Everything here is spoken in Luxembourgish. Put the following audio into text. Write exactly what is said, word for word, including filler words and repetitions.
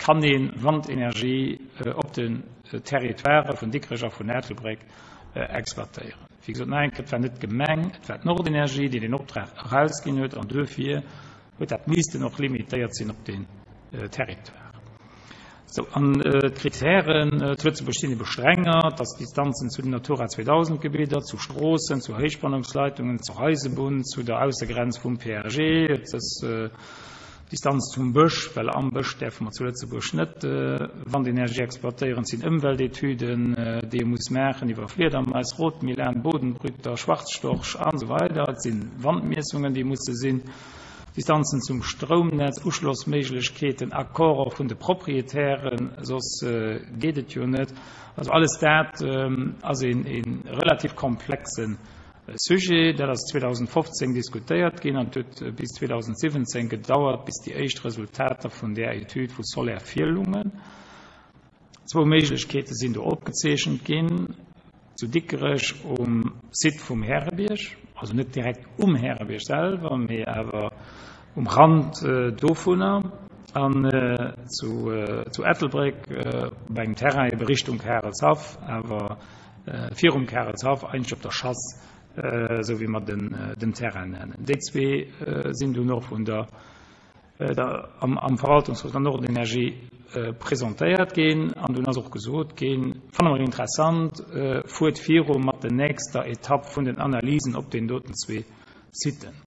Kann ee Wandenergie op den Territoirë vun Dikrech a vun Ettelbréck exploitéieren? Wéi gesot, nach eng Kéier, et war net d'Gemeng, et war d'Nordenergie, déi deen Optrag erausginn huet, an duerfir huet dat missten och limitéiert sinn op deen Territoire. Sou, an d'Kritären zu Lëtzebuerg sinn ebe strenger, et ass d'Distanzen zu den Natura zweedausend Gebidder, zu Stroossen, zu Héichspannungsleitungen, zur Eisebunn, zu der Aussegrenz vum P A G, et ass Distanz zum Bësch, well am Bësch däerfe mer zu Lëtzebuerg net Wandenergie exploitéieren. Et sinn Ëmweltetüden, déi ee muss maachen iwwer Fliedermais, Rotmilan, Bodenbrüter, Schwarzstorch an esou weider. Et si Wandmiessungen, déi musse sinn, Distanzen zum Stroumnetz, Uschlossméiglechkeeten, Accorde vun de Proprietären, soss geet et jo net. Also alles dat ass ee relativ komplexe Sujet. Dat ass zweedausendfofzéng diskutéiert ginn an et huet bis zweedausendsiwwenzéng gedauert, bis déi éischt Resultater vun där Etüd vu Soler virlungen. Zwou Méiglechkeete sinn do opgezeechent ginn, zu Dikrech um Site vum Härebierg, also net direkt um Härebierg selwer, mee awer um Rand dovunner, an zu Ettelbréck op engem Terrain ebe Richtung Karelshaff, awer virum Karelshaff, eigentlech op der Chasse, esou wéi mer den Terrain nennen. Déi zwee sinn dunn och vun der am Verwaltungsrot der Nordenergie presentéiert ginn an dunn ass och gesot ginn, fanne mer interessant, fuert viru mat der nächster Etapp vun den Analysen op den doten zwee Siten.